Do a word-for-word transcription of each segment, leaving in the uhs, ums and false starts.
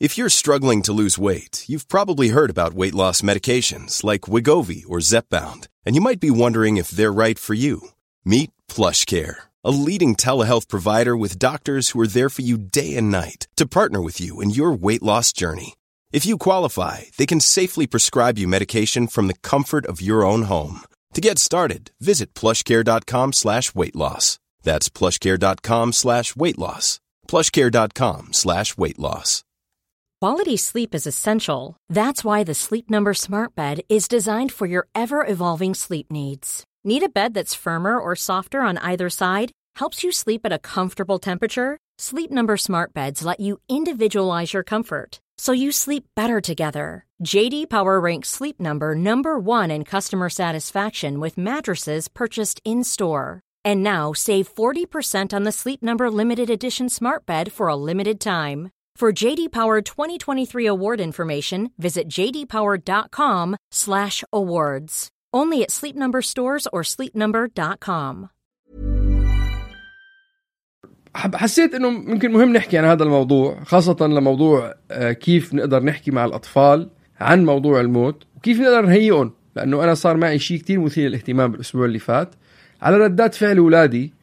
If you're struggling to lose weight, you've probably heard about weight loss medications like Wegovy or Zepbound, and you might be wondering if they're right for you. Meet PlushCare, a leading telehealth provider with doctors who are there for you day and night to partner with you in your weight loss journey. If you qualify, they can safely prescribe you medication from the comfort of your own home. To get started, visit plushcare.com slash weight loss. That's plushcare.com slash weight loss. plushcare.com slash weight loss. Quality sleep is essential. That's why the Sleep Number Smart Bed is designed for your ever-evolving sleep needs. Need a bed that's firmer or softer on either side? Helps you sleep at a comfortable temperature? Sleep Number Smart Beds let you individualize your comfort, so you sleep better together. J D Power ranks Sleep Number number one in customer satisfaction with mattresses purchased in-store. And now save forty percent on the Sleep Number Limited Edition Smart Bed for a limited time. For J D Power twenty twenty-three award information, visit jdpower.com slash awards. Only at Sleep Number stores or sleep number dot com. حسيت انه ممكن مهم نحكي عن هذا الموضوع، خاصة لموضوع كيف نقدر نحكي مع الأطفال عن موضوع الموت وكيف نقدر نهيئهم، لأنه أنا صار معي شيء كتير مثير للاهتمام بالأسبوع اللي فات على ردات فعل أولادي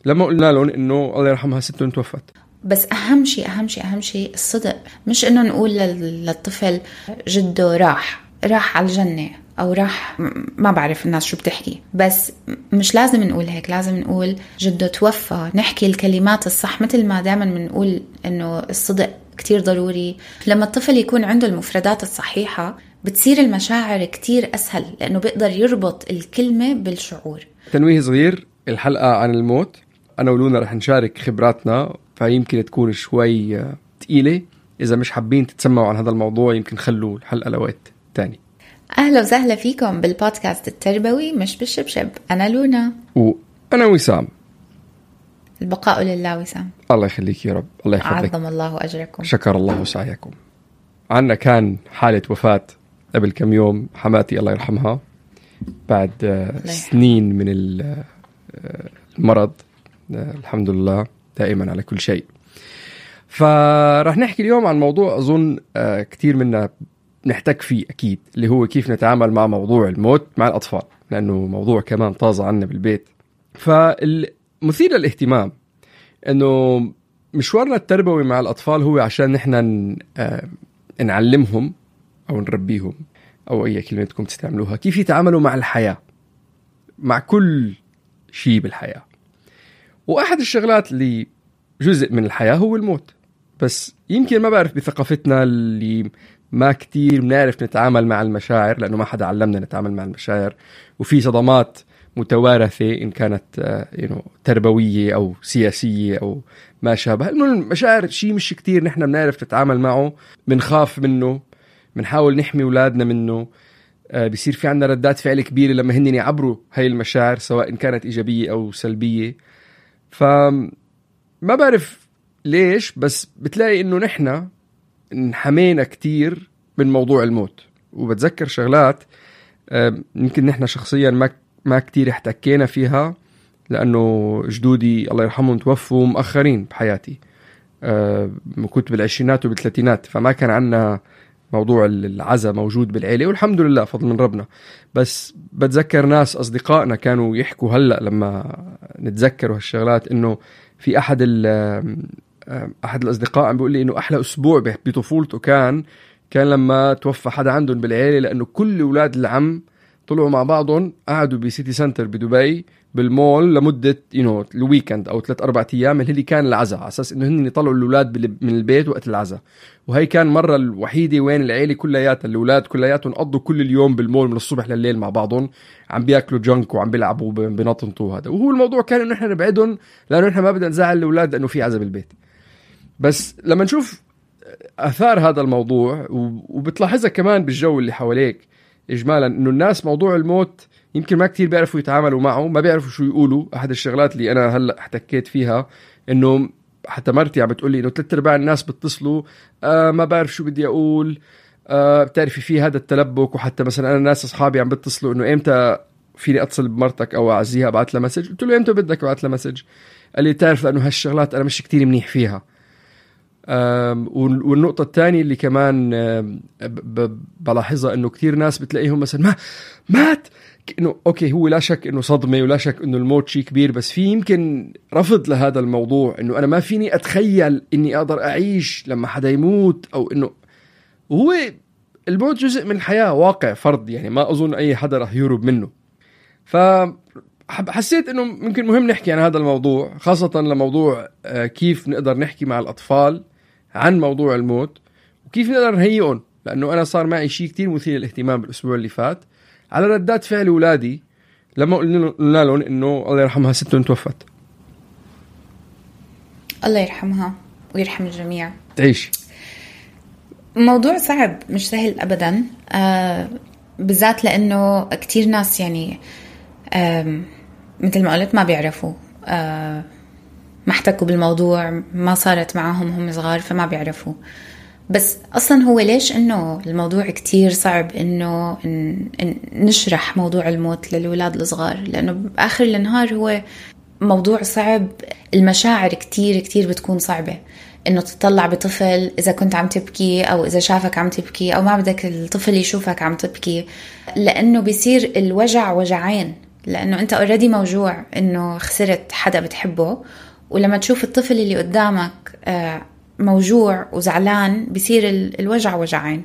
لما قلنا لهم إنه الله يرحمها ستهم توفت. بس أهم شيء أهم شيء أهم شيء الصدق، مش إنه نقول للطفل جده راح راح على الجنة أو راح ما بعرف الناس شو بتحكي، بس مش لازم نقول هيك، لازم نقول جده توفى، نحكي الكلمات الصح مثل ما دائما بنقول إنه الصدق كتير ضروري. لما الطفل يكون عنده المفردات الصحيحة بتصير المشاعر كتير أسهل، لأنه بيقدر يربط الكلمة بالشعور. تنويه صغير، الحلقة عن الموت أنا ولونا رح نشارك خبراتنا، فيمكن تكون شوي تقيلة. إذا مش حابين تتسمعوا عن هذا الموضوع يمكن خلوا الحلقة لوقت تاني. أهلا وسهلا فيكم بالبودكاست التربوي مش بالشبشب. أنا لونا وأنا وسام. البقاء لله وسام. الله يخليك يا رب، الله يحفظك. عظم الله أجركم. شكر الله سعيكم. عنا كان حالة وفاة قبل كم يوم حماتي الله يرحمها بعد سنين من المرض، الحمد لله دائما على كل شيء. فرح نحكي اليوم عن موضوع أظن كتير منا نحتاج فيه أكيد، اللي هو كيف نتعامل مع موضوع الموت مع الأطفال، لأنه موضوع كمان طازة عنا بالبيت. فالمثير للاهتمام أنه مشوارنا التربوي مع الأطفال هو عشان نحن نعلمهم أو نربيهم أو أي كلمة تكون تستعملوها كيف يتعاملوا مع الحياة، مع كل شيء بالحياة. وأحد الشغلات اللي جزء من الحياة هو الموت، بس يمكن ما بعرف بثقافتنا اللي ما كتير بنعرف نتعامل مع المشاعر، لأنه ما حدا علمنا نتعامل مع المشاعر، وفي صدمات متوارثة إن كانت يعني تربوية أو سياسية أو ما شابه. إنه المشاعر شيء مش كتير نحن بنعرف نتعامل معه، بنخاف منه، بنحاول نحمي أولادنا منه، بيصير في عنا ردات فعل كبيرة لما هن يعبروا هاي المشاعر سواء كانت إيجابية أو سلبية. فما بعرف ليش، بس بتلاقي إنه نحن انحمينا كتير من موضوع الموت. وبتذكر شغلات يمكن نحن شخصيا ما ما كتير احتكينا فيها، لأنه جدودي الله يرحمهم توفوا مؤخرين بحياتي، كنت بالعشرينات وبالثلاثينات، فما كان عنا موضوع العزاء موجود بالعيلة، والحمد لله فضل من ربنا. بس بتذكر ناس أصدقائنا كانوا يحكوا هلأ لما نتذكروا هالشغلات، إنه في أحد أحد الأصدقاء عم بيقول لي إنه أحلى أسبوع بطفولته كان كان لما توفى حدا عندهم بالعيلة، لأنه كل أولاد العم طلعوا مع بعضهم، قعدوا بسيتي سنتر بدبي بالمول لمدة ينو الويكند أو ثلاث أربعة أيام اللي كان العزاء، على أساس إنه هن يطلعوا الأولاد من البيت وقت العزاء. وهي كان مرة الوحيدة وين العيلة كلياتها الأولاد كلياتهم قضوا كل اليوم بالمول من الصبح لليل مع بعضهم، عم بياكلوا جنك وعم بيلعبوا بنطنطوا هذا. وهو الموضوع كان إنه إحنا نبعدهم، لأنه إحنا ما بدنا نزعل الأولاد لأنه في عزاء بالبيت. بس لما نشوف أثار هذا الموضوع وبتلاحظها كمان بالجو اللي حواليك إجمالا، إنه الناس موضوع الموت يمكن ما كتير بيعرفوا يتعاملوا معه، ما بيعرفوا شو يقولوا. أحد الشغلات اللي أنا هلأ احتكيت فيها إنه حتى مرتي عم بتقولي إنه ثلاث أرباع الناس بتصلوا آه ما بعرف شو بدي أقول، آه بتعرفي في هذا التلبك. وحتى مثلا أنا ناس أصحابي عم بتصلوا إنه إمتى فيني أتصل بمرتك أو أعزيها أبعث لها مسج، قلت له إمتى بدك أبعث لها مسج، قال لي تعرف لأنه هالشغلات أنا مش كتير منيح فيها. والنقطة الثانية اللي كمان بلاحظها إنه كتير ناس بتلاقيهم مثلا ما مات، إنه أوكي هو لا شك إنه صدمة ولا شك إنه الموت شيء كبير، بس في يمكن رفض لهذا الموضوع، إنه أنا ما فيني أتخيل إني أقدر أعيش لما حدا يموت، أو إنه هو الموت جزء من الحياة، واقع فرض، يعني ما أظن أي حدا رح يهرب منه. فحسيت إنه ممكن مهم نحكي عن هذا الموضوع، خاصة لموضوع كيف نقدر نحكي مع الأطفال عن موضوع الموت وكيف نقدر نهيئهم، لأنه أنا صار معي شيء كتير مثير للاهتمام بالأسبوع اللي فات على ردات فعل أولادي لما قلنا لهم إنه الله يرحمها ستهم توفت. الله يرحمها ويرحم الجميع. تعيش. موضوع صعب مش سهل أبدا، آه بالذات لأنه كتير ناس يعني آه مثل ما قلت ما بيعرفوا، آه ما احتكوا بالموضوع، ما صارت معهم هم صغار فما بيعرفوا. بس أصلا هو ليش إنه الموضوع كتير صعب إنه نشرح موضوع الموت للولاد الصغار؟ لأنه بآخر النهار هو موضوع صعب، المشاعر كتير كتير بتكون صعبة. إنه تطلع بطفل إذا كنت عم تبكي أو إذا شافك عم تبكي أو ما بدك الطفل يشوفك عم تبكي، لأنه بيصير الوجع وجعين، لأنه أنت already موجوع إنه خسرت حدا بتحبه، ولما تشوف الطفل اللي قدامك موجوع وزعلان بيصير الوجع وجعين.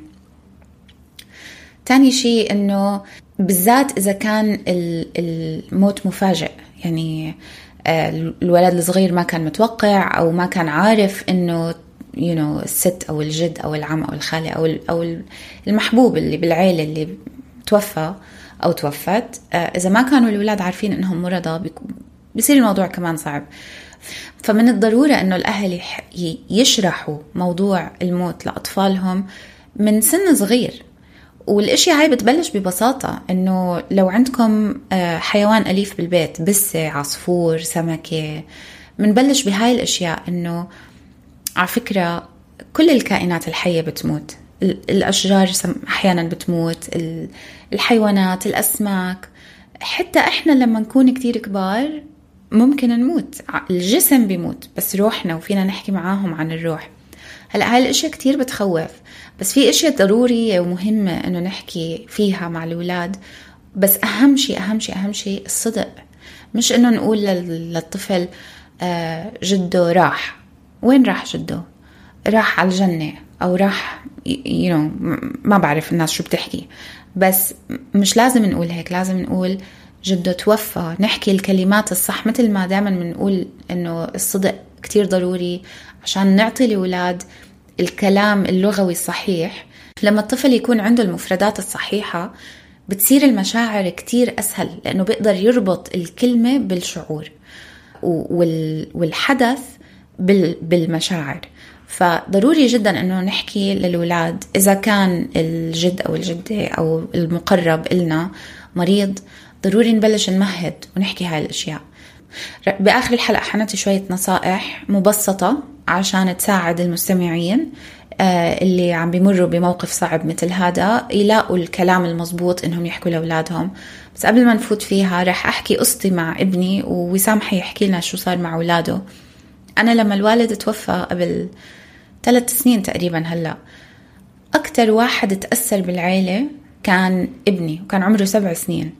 تاني شيء إنه بالذات إذا كان الموت مفاجئ، يعني الولد الصغير ما كان متوقع أو ما كان عارف إنه you know الست أو الجد أو العم أو الخالة أو أو المحبوب اللي بالعيلة اللي توفى أو توفت، إذا ما كانوا الولاد عارفين إنهم مرضى بيصير الموضوع كمان صعب. فمن الضرورة إنه الأهل يشرحوا موضوع الموت لأطفالهم من سن صغير. والاشياء هاي بتبلش ببساطة، إنه لو عندكم حيوان أليف بالبيت، بسة، عصفور، سمكة، منبلش بهاي الاشياء. إنه على فكرة كل الكائنات الحية بتموت، الأشجار أحيانا بتموت، الحيوانات، الأسماك، حتى إحنا لما نكون كتير كبار ممكن نموت. الجسم بيموت بس روحنا وفينا نحكي معاهم عن الروح. هلأ هاي الاشياء كتير بتخوف، بس في اشياء ضرورية ومهمة انه نحكي فيها مع الأولاد. بس اهم شيء اهم شيء اهم شيء الصدق، مش انه نقول للطفل جده راح. وين راح جده؟ راح على الجنة او راح you know ما بعرف الناس شو بتحكي، بس مش لازم نقول هيك. لازم نقول جده توفى، نحكي الكلمات الصح، مثل ما دائما بنقول انه الصدق كتير ضروري عشان نعطي الأولاد الكلام اللغوي الصحيح. لما الطفل يكون عنده المفردات الصحيحة بتصير المشاعر كتير أسهل، لأنه بيقدر يربط الكلمة بالشعور والحدث بالمشاعر. فضروري جدا أنه نحكي للأولاد إذا كان الجد أو الجدة أو المقرب إلنا مريض، ضروري نبلش نمهد ونحكي هاي الأشياء. بآخر الحلقة حنعطي شوية نصائح مبسطة عشان تساعد المستمعين اللي عم بيمروا بموقف صعب مثل هذا يلاقوا الكلام المضبوط إنهم يحكوا لأولادهم. بس قبل ما نفوت فيها رح أحكي قصتي مع ابني، ووسام حيحكي لنا شو صار مع أولاده. أنا لما الوالد توفى قبل ثلاث سنين تقريبا، هلأ أكتر واحد تأثر بالعيلة كان ابني، وكان عمره سبع سنين،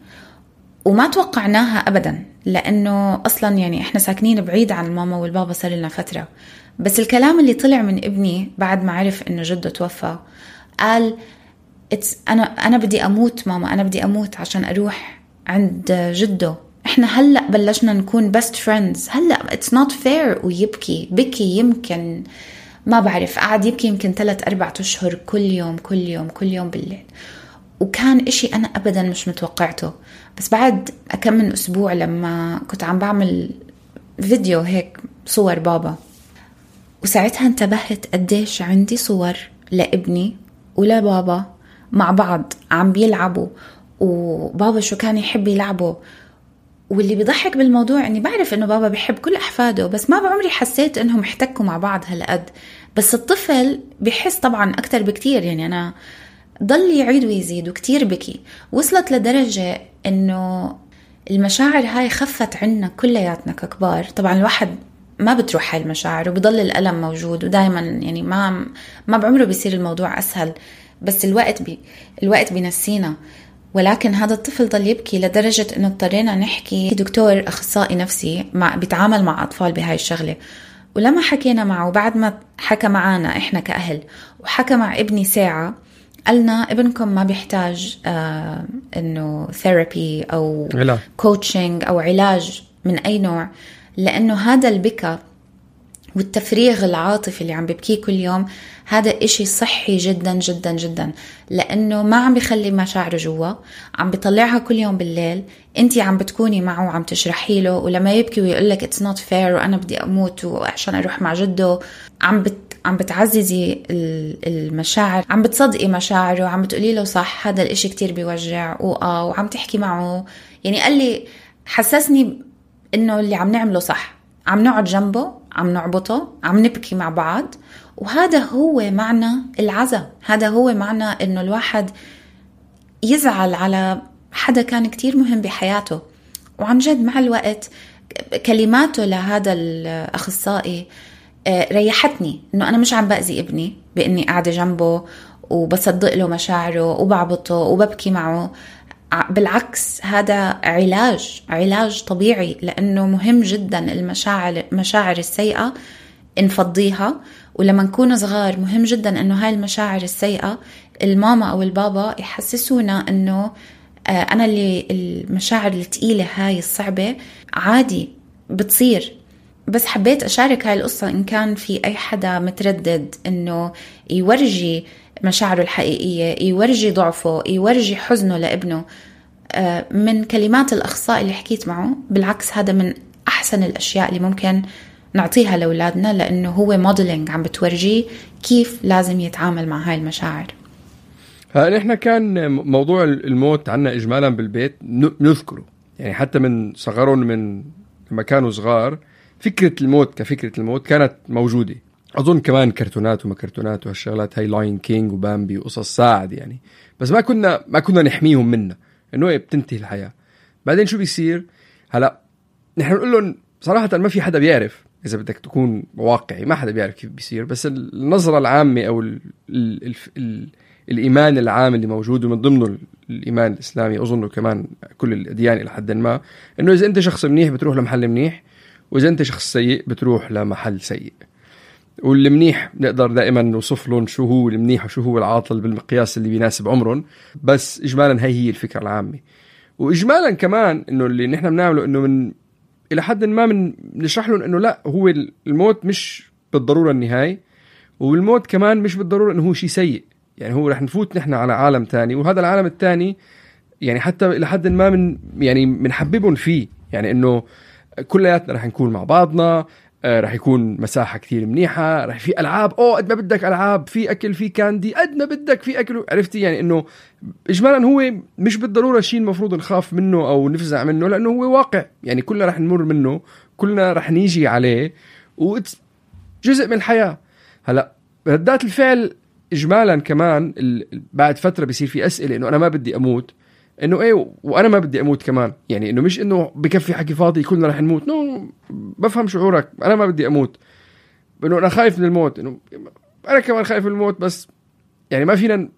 وما توقعناها أبدا، لأنه أصلا يعني إحنا ساكنين بعيد عن الماما والبابا صار لنا فترة. بس الكلام اللي طلع من ابني بعد ما عرف إنه جده توفى، قال أنا أنا بدي أموت ماما، أنا بدي أموت عشان أروح عند جده. إحنا هلأ بلشنا نكون best friends، هلأ it's not fair. ويبكي بكي يمكن ما بعرف قاعد يبكي يمكن ثلاث أربعة أشهر كل يوم كل يوم كل يوم بالليل، وكان إشي أنا أبدا مش متوقعته. بس بعد كم من أسبوع لما كنت عم بعمل فيديو هيك صور بابا، وساعتها انتبهت قديش عندي صور لابني ولبابا مع بعض عم بيلعبوا، وبابا شو كان يحب يلعبوا. واللي بيضحك بالموضوع اني بعرف انه بابا بيحب كل احفاده، بس ما بعمري حسيت انهم احتكوا مع بعض هالقد. بس الطفل بيحس طبعا اكتر بكتير. يعني انا ضل يعيد ويزيد وكتير بكي، وصلت لدرجة انه المشاعر هاي خفت عنا كلياتنا ككبار. طبعا الواحد ما بتروح هاي المشاعر وبضل الألم موجود. ودايما يعني ما ما بعمره بيصير الموضوع أسهل، بس الوقت بي الوقت بينسينا. ولكن هذا الطفل ضل يبكي لدرجة إنه اضطرينا نحكي دكتور أخصائي نفسي مع بيتعامل مع أطفال بهاي الشغلة. ولما حكينا معه بعد ما حكى معانا إحنا كأهل وحكى مع ابني ساعة، قالنا ابنكم ما بيحتاج آه إنه ثيرابي أو كوتشنج أو علاج من أي نوع، لأنه هذا البكاء والتفريغ العاطفي اللي عم ببكيه كل يوم هذا إشي صحي جدا جدا جدا، لأنه ما عم بيخلي مشاعره جوا، عم بيطلعها كل يوم بالليل. انتي عم بتكوني معه وعم تشرحي له، ولما يبكي ويقولك it's not fair وأنا بدي أموت وعشان أروح مع جده، عم بت عم بتعززي المشاعر، عم بتصدقي مشاعره، وعم بتقولي له صح هذا الإشي كتير بيوجع وآه وعم تحكي معه. يعني قال لي حسسني إنه اللي عم نعمله صح، عم نقعد جنبه، عم نعبطه، عم نبكي مع بعض. وهذا هو معنى العزا، هذا هو معنى إنه الواحد يزعل على حدا كان كتير مهم بحياته. وعن جد مع الوقت كلماته لهذا الأخصائي ريحتني، إنه أنا مش عم بأذي ابني بإني قاعدة جنبه وبصدق له مشاعره وبعبطه وببكي معه. بالعكس هذا علاج علاج طبيعي، لأنه مهم جدا المشاعر مشاعر السيئة نفضيها. ولما نكون صغار مهم جدا أنه هاي المشاعر السيئة الماما أو البابا يحسسونا أنه أنا اللي المشاعر الثقيلة هاي الصعبة عادي بتصير. بس حبيت أشارك هاي القصة إن كان في أي حدا متردد أنه يورجي مشاعره الحقيقية، يورجي ضعفه، يورجي حزنه لابنه من كلمات الأخصائي اللي حكيت معه. بالعكس هذا من أحسن الأشياء اللي ممكن نعطيها لأولادنا، لأنه هو موديلينج عم بتورجيه كيف لازم يتعامل مع هاي المشاعر. نحن كان موضوع الموت عنا إجمالا بالبيت نذكره، يعني حتى من صغرهم، من لما كانوا صغار فكرة الموت كفكرة الموت كانت موجودة. أظن كمان كرتونات وما كرتونات وهالشغلات هاي لاين كينج وبامبي وقصص ساعد يعني، بس ما كنا ما كنا نحميهم منها إنه بتنتهي الحياة. بعدين شو بيصير هلا؟ نحن نقول لهم صراحة ما في حدا بيعرف، إذا بدك تكون واقعي ما حدا بيعرف كيف بيصير، بس النظرة العامة أو ال ال ال ال الإيمان العام اللي موجود ومن ضمنه الإيمان الإسلامي، أظنه كمان كل الأديان إلى حد ما، إنه إذا أنت شخص منيح بتروح لمحل منيح، وإذا أنت شخص سيء بتروح لمحل سيء. والمنيح نقدر دائما نوصف لهم شو هو المنيح وشو هو العاطل بالمقياس اللي بيناسب عمرهم، بس إجمالا هي هي الفكرة العامة. وإجمالا كمان إنه اللي نحن بنعمله إنه من إلى حد ما من نشرح لهم إنه لا، هو الموت مش بالضرورة النهاية، والموت كمان مش بالضرورة إنه هو شيء سيء. يعني هو رح نفوت نحن على عالم تاني، وهذا العالم التاني يعني حتى إلى حد ما من يعني منحببهم فيه، يعني إنه كلياتنا رح نكون مع بعضنا، رح يكون مساحة كتير منيحة، رح في ألعاب أو قد ما بدك ألعاب، في أكل، في كاندي قد ما بدك، في أكل. عرفتي يعني إنه إجمالا هو مش بالضرورة شيء المفروض نخاف منه أو نفزع منه، لأنه هو واقع يعني كلنا رح نمر منه، كلنا رح نيجي عليه، وجزء من الحياة. هلأ ردات الفعل إجمالا كمان بعد فترة بيصير في أسئلة إنه أنا ما بدي أموت، إنه إيه وأنا ما بدي أموت كمان، يعني إنه مش إنه بكفي حكي فاضي كلنا رح نموت، نو بفهم شعورك، أنا ما بدي أموت، إنه أنا خايف من الموت، إنه أنا كمان خايف من الموت، بس يعني ما فينا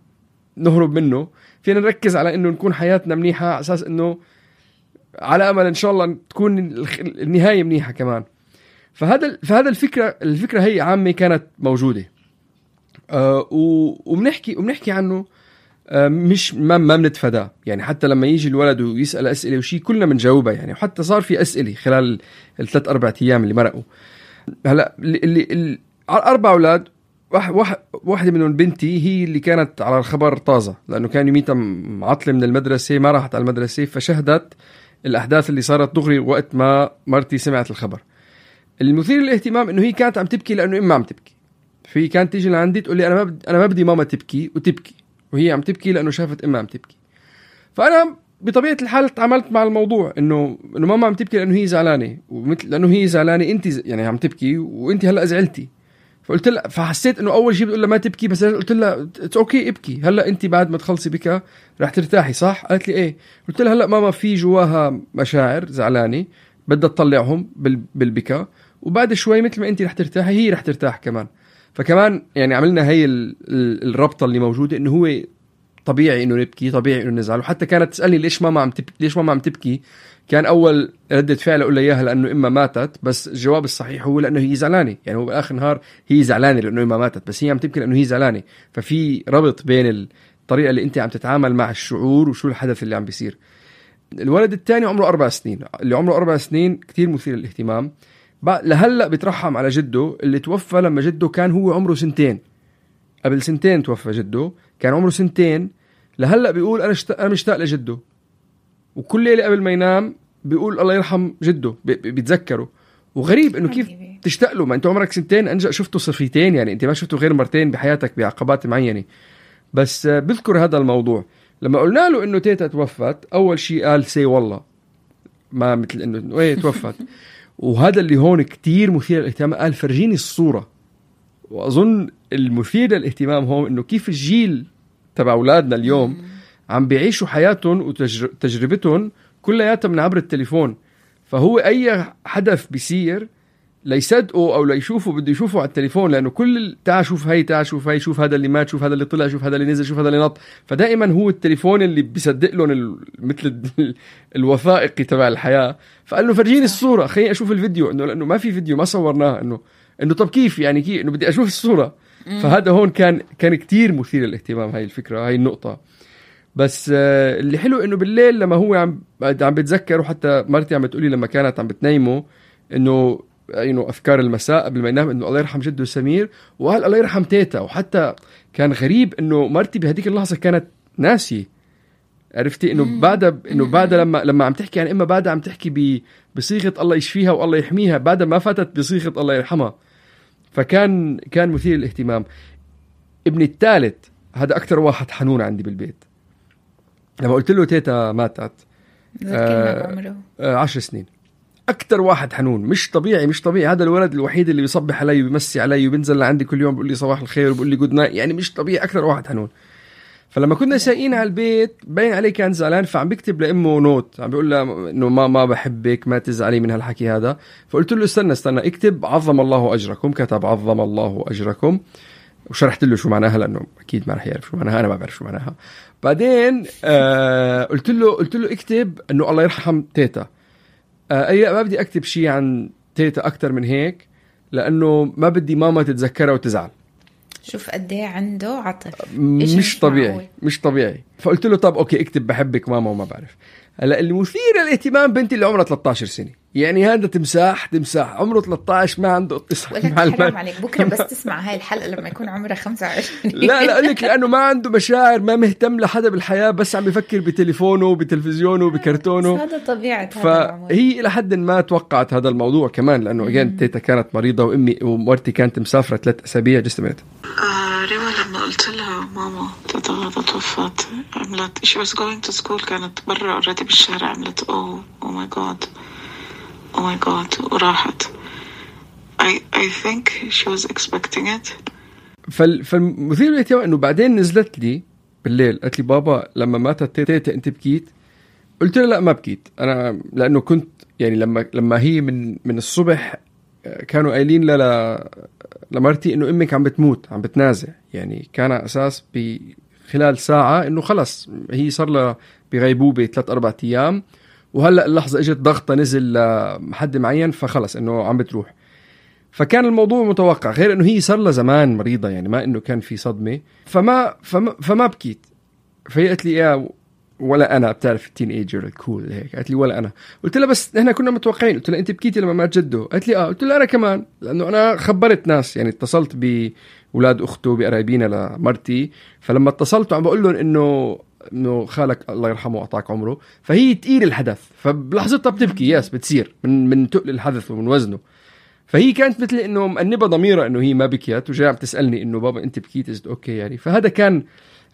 نهرب منه، فينا نركز على إنه نكون حياتنا منيحة على أساس إنه على أمل إن شاء الله تكون النهاية منيحة كمان. فهذا فهذا الفكرة الفكرة هي عامة كانت موجودة، أه وبنحكي وبنحكي عنه، أه مش ما ما بنتفاداه. يعني حتى لما يجي الولد ويسأل أسئلة وشي كلنا بنجاوبها يعني، وحتى صار في أسئلة خلال الثلاث أربع أيام اللي مرقوا. هلا اللي اللي أربع أولاد، واحد واحدة منهم بنتي هي اللي كانت على الخبر طازة، لأنه كان يوميتها معطلة من المدرسة، ما راحت على المدرسة، فشهدت الأحداث اللي صارت دغري وقت ما مرتي سمعت الخبر. المثير للاهتمام إنه هي كانت عم تبكي لأنه إما عم تبكي، في كانت تيجي لعندي تقول لي أنا ما بدي أنا ما بدي ماما تبكي وتبكي، وهي عم تبكي لأنه شافت إما عم تبكي. فأنا بطبيعة الحال تعاملت مع الموضوع إنه إنه ماما عم تبكي لأنه هي زعلانة، ومثل لأنه هي زعلانة أنت يعني عم تبكي وأنت هلأ زعلتي. فقلت لها، فحسيت إنه أول شيء بتقول لها ما تبكي، بس قلت لها أوكي ابكي، هلأ أنت بعد ما تخلصي بكى رح ترتاحي صح؟ قالت لي إيه. قلت لها هلأ ماما في جواها مشاعر زعلانة بدها تطلعهم بالبكاء، وبعد شوي مثل ما انت رح ترتاحي هي رح ترتاح كمان. فكمان يعني عملنا هي ال... ال... الربطة اللي موجودة انه هو طبيعي انه نبكي، طبيعي انه نزعل. وحتى كانت تسألني ليش ماما عم تبكي، ليش ماما عم تبكي، كان اول ردة فعل اقول لها اياها لانه اما ماتت، بس الجواب الصحيح هو لانه هي زعلانه. يعني هو باخر النهار هي زعلانه لانه اما ماتت، بس هي عم تبكي لانه هي زعلانه. ففي ربط بين الطريقه اللي انت عم تتعامل مع الشعور وشو الحدث اللي عم بيصير. الولد الثاني عمره أربع سنين، اللي عمره أربع سنين كتير مثير للاهتمام. لهلا بيترحم على جده اللي توفى لما جده كان هو عمره سنتين. قبل سنتين توفى جده، كان عمره سنتين. لهلا بيقول انا شت... انا مشتاق لجده، وكل ليله قبل ما ينام بيقول الله يرحم جده، بيتذكره. وغريب انه كيف تشتاق له، ما انت عمرك سنتين، انجا شفته صفيتين، يعني انت ما شفته غير مرتين بحياتك بعقبات معينه. بس بذكر هذا الموضوع لما قلنا له انه تيتا توفت، اول شيء قال سي والله، ما مثل انه ايه توفت. وهذا اللي هون كتير مثير للاهتمام، قال فرجيني الصوره. واظن المثير للاهتمام هون انه كيف الجيل تبع اولادنا اليوم عم بيعيشوا حياتهم وتجربتهم كلياتها من عبر التليفون. فهو اي حدث بيصير ليصدقوا او ليشوفوا بده يشوفوا على التليفون، لانه كل تعال شوف هي، تعال شوف هي، شوف هذا اللي مات، شوف هذا اللي طلع، شوف هذا اللي نزل، شوف هذا اللي نط. فدائما هو التليفون اللي بيصدق لهم مثل الوثائقي تبع الحياه. فقال له فرجيني الصوره، خليني اشوف الفيديو، انه لانه ما في فيديو، ما صورناه، انه انه طب كيف يعني كيف انه بدي اشوف الصوره. فهذا هون كان كان كتير مثير للاهتمام، هاي الفكره، هاي النقطه. بس آه اللي حلو انه بالليل لما هو عم عم بتذكر، وحتى مرتي عم بتقولي لما كانت عم بتنيمه انه انه افكار المساء قبل ما ينام انه الله يرحم جده سمير، وقال الله يرحم تيتا. وحتى كان غريب انه مرتي بهديك اللحظه كانت ناسي، عرفتي انه بعدها انه بعدها لما لما عم تحكي عن اما بعدها عم تحكي بصيغه الله يشفيها والله يحميها، بعدها ما فاتت بصيغه الله يرحمها. فكان كان مثير للاهتمام. ابني الثالث هذا اكثر واحد حنون عندي بالبيت. لما قلت له تيتا ماتت آه عمره آه عشر سنين، أكتر واحد حنون، مش طبيعي مش طبيعي. هذا الولد الوحيد اللي بيصبح علي وبيمسي علي وبينزل لعندي كل يوم بيقول لي صباح الخير وبيقول لي جود نايت، يعني مش طبيعي، أكتر واحد حنون. فلما كنا سايقين على البيت باين عليه كان زعلان، فعم بيكتب لأمه نوت، عم بيقول له إنه ما ما بحبك، ما تزعلي من هالحكي هذا. فقلت له استنى استنى اكتب عظم الله أجركم. كتب عظم الله أجركم، وشرحت له شو معناها لأنه أكيد ما رح يعرف شو معناها، أنا ما بعرف شو معناها. بعدين آه قلت له قلت له اكتب إنه الله يرحم تيتا. آه أي ما بدي أكتب شيء عن تيتا أكتر من هيك، لأنه ما بدي ماما تتذكرها وتزعل. شوف قد ايه عنده عطف، مش طبيعي معقول. مش طبيعي. فقلت له طب اوكي اكتب بحبك ماما وما بعرف. هلا المثير للاهتمام بنتي اللي عمرها ثلاثة عشر سنه، يعني هذا تمساح تمساح عمره ثلاثة عشر ما عنده اتصال مع البنت. حرام عليك بكره بس تسمع هاي الحلقه لما يكون عمرها خمسة وعشرين. لا لا اقول لك لانه ما عنده مشاعر، ما مهتم لحدا بالحياه، بس عم بفكر بتليفونه وبتلفزيونه وبكرتونه. هذا طبيعه هذا العمر. فهي الى حد ما توقعت هذا الموضوع كمان، لانه اجين تيتا كانت مريضه وامي ومرتي كانت مسافره ثلاث اسابيع جسمت. آه ريما لما قلت لها ماما تيتا غدا توفت، عملت she was going to school، كانت برا اوريدي بالشارع، عملت اوه او ماي جاد او ماي جاد وراحت. I I think she was expecting it. فال فالمثير للاهتمام انه بعدين نزلت لي بالليل قالت لي بابا لما ماتت تيتا انت بكيت؟ قلت لها لا ما بكيت انا، لانه كنت يعني لما لما هي من من الصبح كانوا قايلين ل لمرتي انه امك عم بتموت عم بتنازع، يعني كان اساس بخلال ساعه انه خلص هي صار لها بغيبوبه ثلاث اربع ايام، وهلا اللحظه اجت ضغطه نزل لحد معين فخلص انه عم بتروح. فكان الموضوع متوقع، غير انه هي صار لها زمان مريضه، يعني ما انه كان في صدمه. فما فما, فما بكيت. فهي قالت لي يا ولا انا، بتعرف التين ايجر الكول هيك، قالت لي ولا انا. قلت لها بس احنا كنا متوقعين. قلت لها انت بكيتي لما مات جده؟ قالت لي اه. قلت لها انا كمان، لانه انا خبرت ناس، يعني اتصلت باولاد اخته بقرايبينا لمرتي، فلما اتصلت عم بقول لهم انه انه خالك الله يرحمه واعطاك عمره، فهي تقيل الحدث، فبلحظتها بتبكي ياس بتصير من من تقل الحدث ومن وزنه. فهي كانت مثل انه مأنبه ضميرها انه هي ما بكيت، وجاي عم تسالني انه بابا انت بكيت؟ ازد اوكي يعني. فهذا كان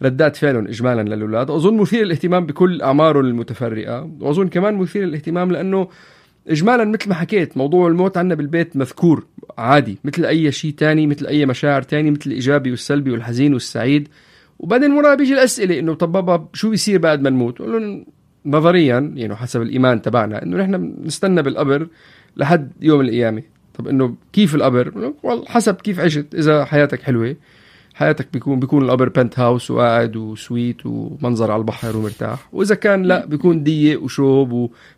ردات فعلهم اجمالا للاولاد. اظن مثير الاهتمام بكل اعمارهم المتفرقه، واظن كمان مثير الاهتمام لانه اجمالا مثل ما حكيت موضوع الموت عنا بالبيت مذكور عادي مثل اي شيء تاني، مثل اي مشاعر تاني، مثل الايجابي والسلبي والحزين والسعيد. وبعدين مرة بيجي الاسئله انه طب بابا شو بيصير بعد ما نموت؟ قول لهم نظريا يعني حسب الايمان تبعنا انه نحن نستنى بالقبر لحد يوم القيامه، طب إنه كيف القبر؟ والله حسب كيف عشت. إذا حياتك حلوة حياتك بيكون بيكون القبر بنت هاوس وقاعد وسويت ومنظر على البحر ومرتاح، وإذا كان لا بيكون ضيق وشوب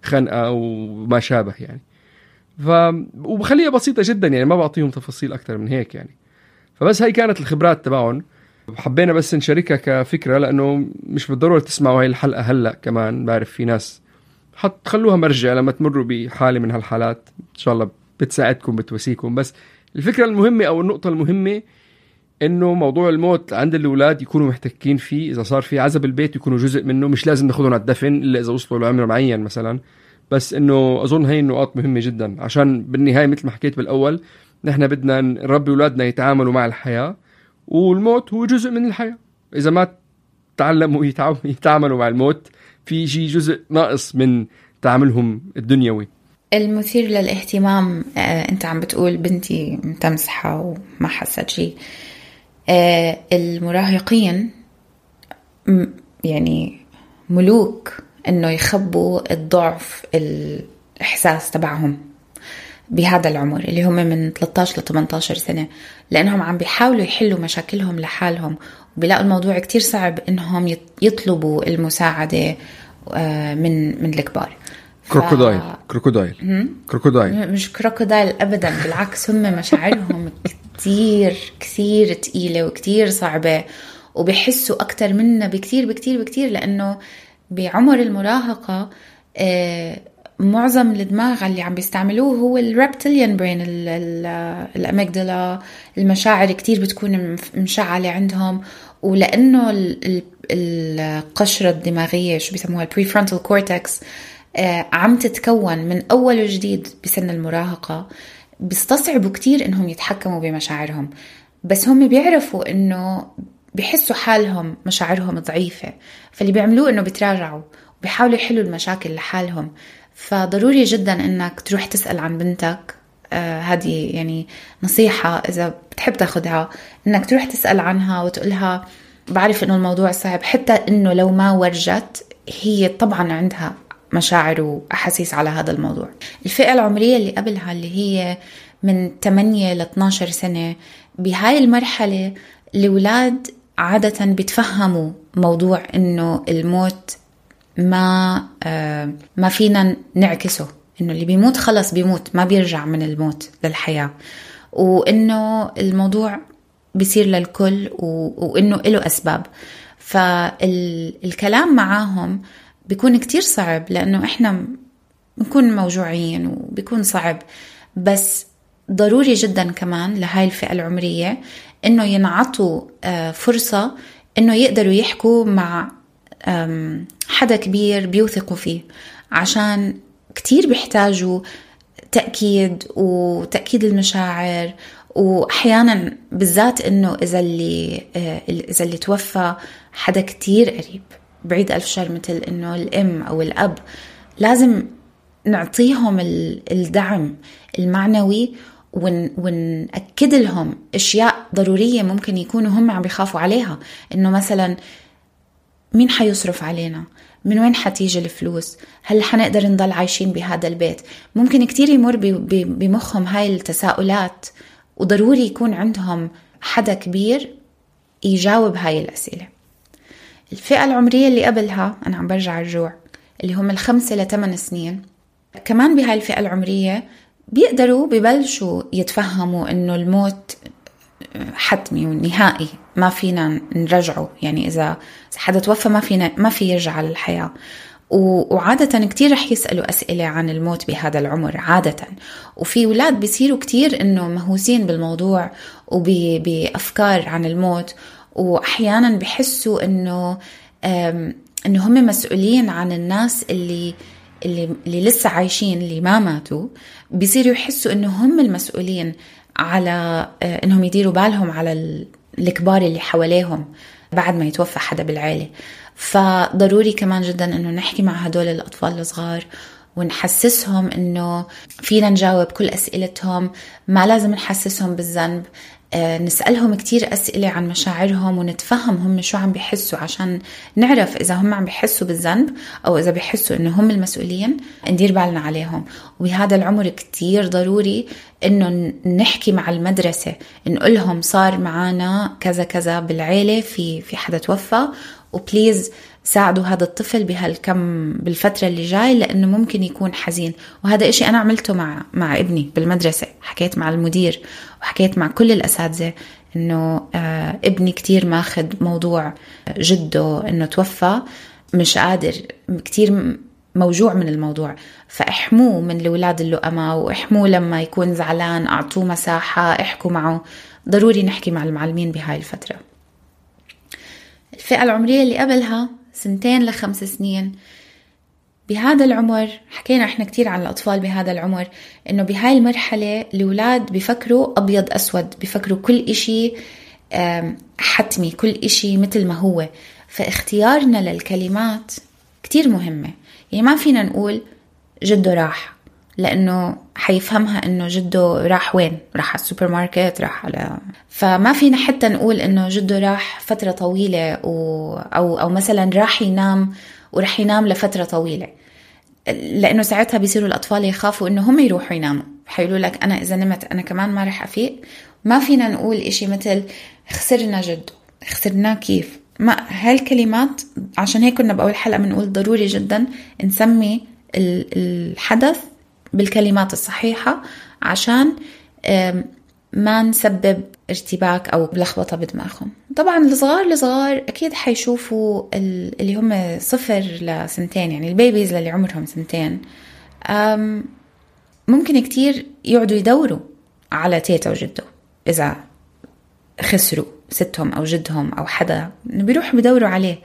وخنقة وما شابه يعني. ف وبخليها بسيطة جدا يعني، ما بعطيهم تفاصيل أكتر من هيك يعني. فبس هاي كانت الخبرات تبعهم، حبينا بس نشاركها كفكرة، لأنه مش بالضرورة تسمعوا هاي الحلقة هلأ. كمان بعرف في ناس حط خلوها مرجع لما تمروا بحالة من هالحالات، إن شاء الله بتساعدكم بتواسيكم. بس الفكرة المهمة أو النقطة المهمة إنه موضوع الموت عند الأولاد يكونوا محتكين فيه. إذا صار في عزب البيت يكونوا جزء منه، مش لازم ناخذهم على الدفن إلا إذا وصلوا لعمر معين مثلا. بس إنه أظن هاي النقاط مهمة جدا، عشان بالنهاية مثل ما حكيت بالأول نحن بدنا نربي أولادنا يتعاملوا مع الحياة، والموت هو جزء من الحياة. إذا ما تعلموا يتعاملوا مع الموت في شيء جزء ناقص من تعاملهم الدنيوي. المثير للاهتمام آه، أنت عم بتقول بنتي متمسحة وما حست شيء. آه، المراهقين يعني ملوك إنه يخبوا الضعف الإحساس تبعهم بهذا العمر اللي هم من ثلاثة عشر ل ثمانية عشر سنة، لأنهم عم بيحاولوا يحلوا مشاكلهم لحالهم، وبيلاقوا الموضوع كتير صعب إنهم يطلبوا المساعدة من من الكبار. كروكودايل ف... كروكودايل كروكودايل مش كروكودايل أبدا، بالعكس هم مشاعرهم كتير كتير تقيلة وكتير صعبة، وبيحسوا أكتر منا بكتير بكتير بكتير، لأنه بعمر المراهقة آه معظم الدماغ اللي عم بيستعملوه هو الريبتيليان برين، الأميجدلا. المشاعر كتير بتكون مشعلة عندهم، ولأنه القشرة الدماغية شو بيسموها البريفرونتال كورتكس عم تتكون من أول وجديد بسن المراهقة، بيستصعبوا كتير إنهم يتحكموا بمشاعرهم. بس هم بيعرفوا إنه بيحسوا حالهم مشاعرهم ضعيفة، فاللي بيعملوه إنه بيتراجعوا وبيحاولوا يحلوا المشاكل لحالهم. فضروري جدا إنك تروح تسأل عن بنتك. آه هذه يعني نصيحة إذا بتحب تاخدها، إنك تروح تسأل عنها وتقولها بعرف إنه الموضوع صعب، حتى إنه لو ما ورجت هي طبعا عندها مشاعر وأحاسيس على هذا الموضوع. الفئة العمرية اللي قبلها اللي هي من ثمانية ل اثنا عشر سنة، بهاي المرحلة الأولاد عادة بيتفهموا موضوع إنه الموت ما آه ما فينا نعكسه، إنه اللي بيموت خلص بيموت، ما بيرجع من الموت للحياة، وإنه الموضوع بيصير للكل وإنه له أسباب. فالكلام معاهم بيكون كتير صعب، لأنه إحنا بنكون موجوعين وبيكون صعب. بس ضروري جدا كمان لهاي الفئة العمرية إنه ينعطوا آه فرصة إنه يقدروا يحكوا مع حدا كبير بيوثقوا فيه، عشان كتير بيحتاجوا تأكيد وتأكيد المشاعر. وأحيانا بالذات إنه إذا اللي إذا اللي توفى حدا كتير قريب بعيد ألف شر، مثل إنه الأم أو الأب، لازم نعطيهم الدعم المعنوي ون ونأكد لهم أشياء ضرورية ممكن يكونوا هم عم بيخافوا عليها، إنه مثلا مين حيصرف علينا، من وين حتيجي الفلوس، هل حنقدر نضل عايشين بهذا البيت. ممكن كتير يمر بمخهم هاي التساؤلات، وضروري يكون عندهم حدا كبير يجاوب هاي الأسئلة. الفئة العمرية اللي قبلها أنا عم برجع الرجوع، اللي هم الخمسة لثمان سنين، كمان بهاي الفئة العمرية بيقدروا ببلشوا يتفهموا إنه الموت حتمي ونهائي، ما فينا نرجعه. يعني إذا حدا توفى ما فينا ما في يرجع للحياة. وعادة كتير رح يسألوا أسئلة عن الموت بهذا العمر عادة. وفي أولاد بيصيروا كتير إنه مهووسين بالموضوع وبأفكار عن الموت، وأحيانا بحسوا إنه إنه هم مسؤولين عن الناس اللي اللي اللي لسه عايشين اللي ما ماتوا. بيصيروا يحسوا إنه هم المسؤولين على إنهم يديروا بالهم على الكبار اللي حواليهم بعد ما يتوفى حدا بالعائلة. فضروري كمان جدا إنه نحكي مع هدول الأطفال الصغار ونحسسهم إنه فينا نجاوب كل أسئلتهم، ما لازم نحسسهم بالذنب. نسألهم كتير أسئلة عن مشاعرهم ونتفهم هم شو عم بيحسوا، عشان نعرف إذا هم عم بيحسوا بالذنب أو إذا بيحسوا إنه هم المسؤولين، ندير بالنا عليهم. وبهذا العمر كتير ضروري إنه نحكي مع المدرسة، نقولهم صار معنا كذا كذا بالعيلة، في في حدا توفى، وبليز ساعدوا هذا الطفل بهالكم بالفترة اللي جاي لأنه ممكن يكون حزين. وهذا إشي أنا عملته مع مع ابني بالمدرسة، حكيت مع المدير وحكيت مع كل الأساتذة إنه آه ابني كتير ماخد موضوع جده إنه توفى، مش قادر، كتير موجوع من الموضوع، فاحموه من الأولاد اللؤمة، واحموه لما يكون زعلان أعطوه مساحة، احكوا معه. ضروري نحكي مع المعلمين بهاي الفترة. الفئة العمرية اللي قبلها سنتين لخمس سنين، بهذا العمر حكينا احنا كتير عن الأطفال بهذا العمر، انه بهاي المرحلة الأولاد بيفكروا أبيض أسود، بيفكروا كل إشي حتمي، كل إشي مثل ما هو. فاختيارنا للكلمات كتير مهمة. يعني ما فينا نقول جده راح، لأنه حيفهمها إنه جده راح وين، راح على السوبر ماركت، راح على، فما فينا حتى نقول إنه جده راح فترة طويلة و... أو أو مثلا راح ينام وراح ينام لفترة طويلة، لأنه ساعتها بيصيروا الأطفال يخافوا إنه هم يروحوا يناموا، حيقولوا لك أنا إذا نمت أنا كمان ما رح أفيق. ما فينا نقول إشي مثل خسرنا جده، خسرناه كيف، ما هالكلمات. عشان هيك كنا بأول حلقة بنقول ضروري جدا نسمي الحدث بالكلمات الصحيحة، عشان ما نسبب ارتباك أو لخبطة بدماغهم. طبعا الصغار الصغار أكيد حيشوفوا اللي هم صفر لسنتين، يعني البيبيز اللي عمرهم سنتين، ممكن كتير يقعدوا يدوروا على تيتا وجده إذا خسروا ستهم أو جدهم أو حدا، بيروحوا بدوروا عليه،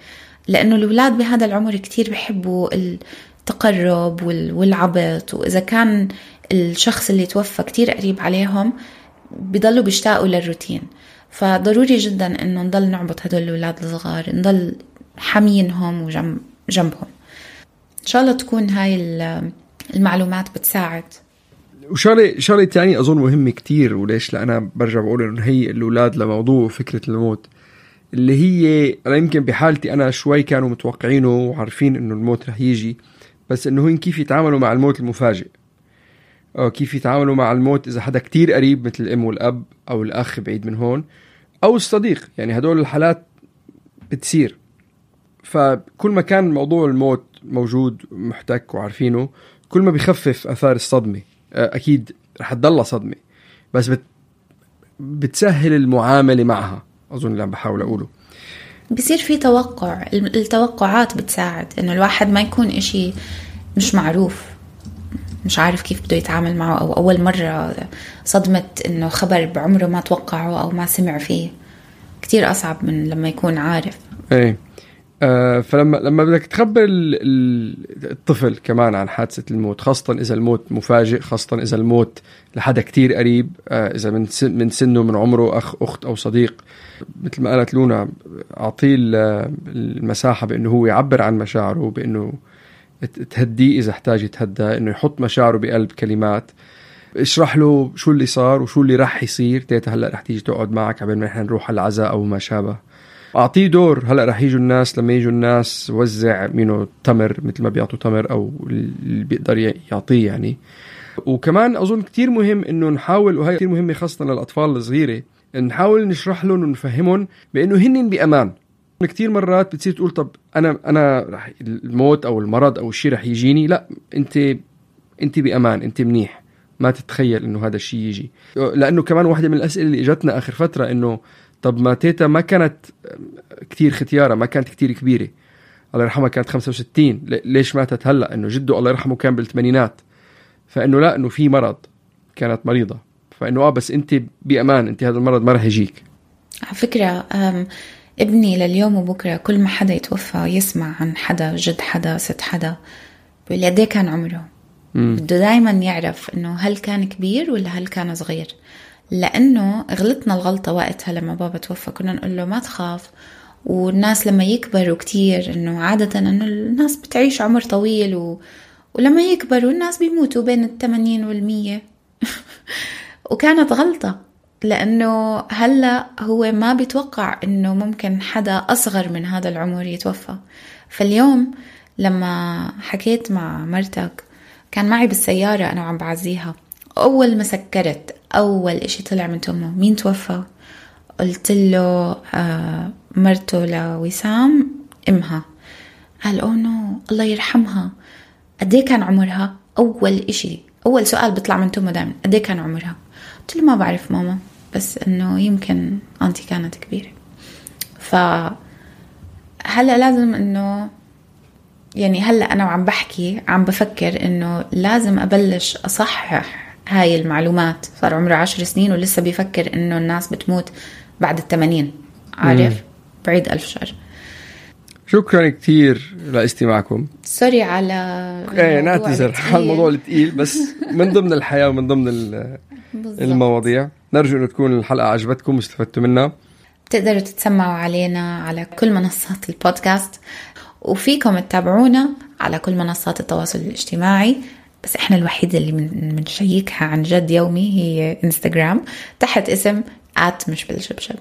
لأنه الأولاد بهذا العمر كتير بيحبوا التقرب والعبط، وإذا كان الشخص اللي توفى كتير قريب عليهم بيضلوا بيشتاقوا للروتين. فضروري جدا إنه نضل نعبط هدول الأولاد الصغار، نضل حامينهم وجنبهم. إن شاء الله تكون هاي المعلومات بتساعد. وشغله شغله تانية أظن مهمة كتير، وليش لأنا برجع بقول إنه هي الأولاد لموضوع فكرة الموت، اللي هي أنا يمكن بحالتي أنا شوي كانوا متوقعينه وعارفين إنه الموت رح يجي، بس إنه هن كيف يتعاملوا مع الموت المفاجئ، أو كيف يتعاملوا مع الموت إذا حدا كتير قريب مثل الأم والأب أو الأخ بعيد من هون أو الصديق. يعني هدول الحالات بتصير. فكل ما كان موضوع الموت موجود محتك وعارفينه، كل ما بيخفف أثار الصدمة. أكيد رح تضل صدمة، بس بت بتسهل المعاملة معها. أظن اللي عم بحاول أقوله بيصير في توقع، التوقعات بتساعد إنه الواحد ما يكون إشي مش معروف، مش عارف كيف بده يتعامل معه، أو أول مرة صدمة إنه خبر بعمره ما توقعه أو ما سمع فيه، كتير أصعب من لما يكون عارف. إيه. آه فلما لما بدك تخبر الطفل كمان عن حادثة الموت، خاصة إذا الموت مفاجئ، خاصة إذا الموت لحدا كتير قريب، آه إذا من سن من سنه، من عمره، أخ أخت أو صديق، مثل ما قالت لونا، أعطيه المساحة بأنه هو يعبر عن مشاعره، بأنه تهديه إذا احتاج يتهدى، إنه يحط مشاعره بقلب كلمات، اشرح له شو اللي صار وشو اللي راح يصير. تيتا هلأ رح تيجي تقعد معك قبل ما نحن نروح على العزاء أو ما شابه. أعطيه دور. هلأ رح يجوا الناس، لما يجوا الناس وزع منه تمر مثل ما بيعطوا تمر أو اللي بيقدر يعطيه يعني. وكمان أظن كتير مهم إنه نحاول، وهي كتير مهمة خاصة للأطفال الصغيرة، نحاول نشرح لهم ونفهمهم بأنه هن بأمان. كتير مرات بتصير تقول طب أنا أنا رح الموت أو المرض أو الشيء رح يجيني، لا، أنت أنت بأمان، أنت منيح، ما تتخيل إنه هذا الشيء يجي. لأنه كمان واحدة من الأسئلة اللي إجتنا آخر فترة إنه طب ما تيتا ما كانت كتير ختيارة، ما كانت كتير كبيرة، الله يرحمها كانت خمسة وستين، ليش ماتت هلأ؟ إنه جده الله يرحمه كان بالثمانينات، فإنه لا، إنه في مرض، كانت مريضة، فإنه آه بس أنت بأمان، أنت هذا المرض ما رح يجيك. على فكرة ابني لليوم وبكرة كل ما حدا يتوفى يسمع عن حدا، جد حدا، ست حدا، بيقول لي قد ايه كان عمره. مم. بده دايما يعرف إنه هل كان كبير ولا هل كان صغير، لأنه غلطنا الغلطة وقتها لما بابا توفى، كنا نقول له ما تخاف، والناس لما يكبروا كتير، إنه عادة إنه الناس بتعيش عمر طويل و... ولما يكبروا الناس بيموتوا بين الثمانين والمية وكانت غلطة. لأنه هلأ هو ما بيتوقع إنه ممكن حدا أصغر من هذا العمر يتوفى. فاليوم لما حكيت مع مرتك كان معي بالسيارة أنا وعم بعزيها، أول ما سكرت أول إشي طلع من تمه مين توفى؟ قلت له آه مرته لوسام إمها. قال أوه نو الله يرحمها. قديه كان عمرها؟ أول إشي أول سؤال بيطلع من تمه دائما قديه كان عمرها؟ قلت له ما بعرف ماما، بس إنه يمكن أنتي كانت كبيرة. فهلأ لازم إنه يعني هلأ أنا وعم بحكي عم بفكر إنه لازم أبلش أصحح هاي المعلومات. صار عمره عشر سنين ولسه بيفكر إنه الناس بتموت بعد الثمانين. عارف؟ مم. بعيد ألف شر. شكرا كتير لاستماعكم. سوري على ايه نعتذر على الموضوع الثقيل، بس من ضمن الحياة ومن ضمن المواضيع. نرجو أن تكون الحلقة عجبتكم واستفدتوا منها. تقدروا تتسمعوا علينا على كل منصات البودكاست، وفيكم تتابعونا على كل منصات التواصل الاجتماعي، بس احنا الوحيدة اللي بنشيكها عن جد يومي هي انستغرام تحت اسم آت مش بالشبشب.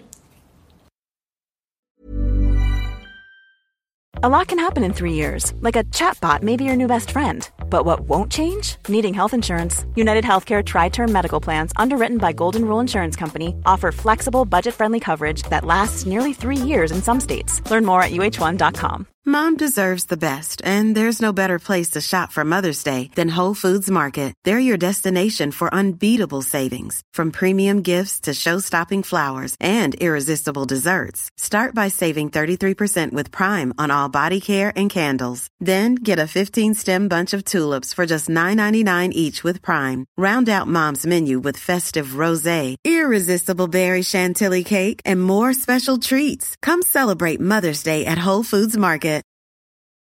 A lot can happen in three years, like a chatbot may be your new best friend. But what won't change? Needing health insurance. United Healthcare Tri-Term Medical Plans, underwritten by Golden Rule Insurance Company, offer flexible, budget-friendly coverage that lasts nearly three years in some states. Learn more at U H one dot com. Mom deserves the best, and there's no better place to shop for Mother's Day than Whole Foods Market. They're your destination for unbeatable savings, from premium gifts to show-stopping flowers and irresistible desserts. Start by saving thirty-three percent with Prime on all body care and candles. Then get a fifteen-stem bunch of tulips for just nine ninety-nine each with Prime. Round out Mom's menu with festive rosé, irresistible berry chantilly cake, and more special treats. Come celebrate Mother's Day at Whole Foods Market.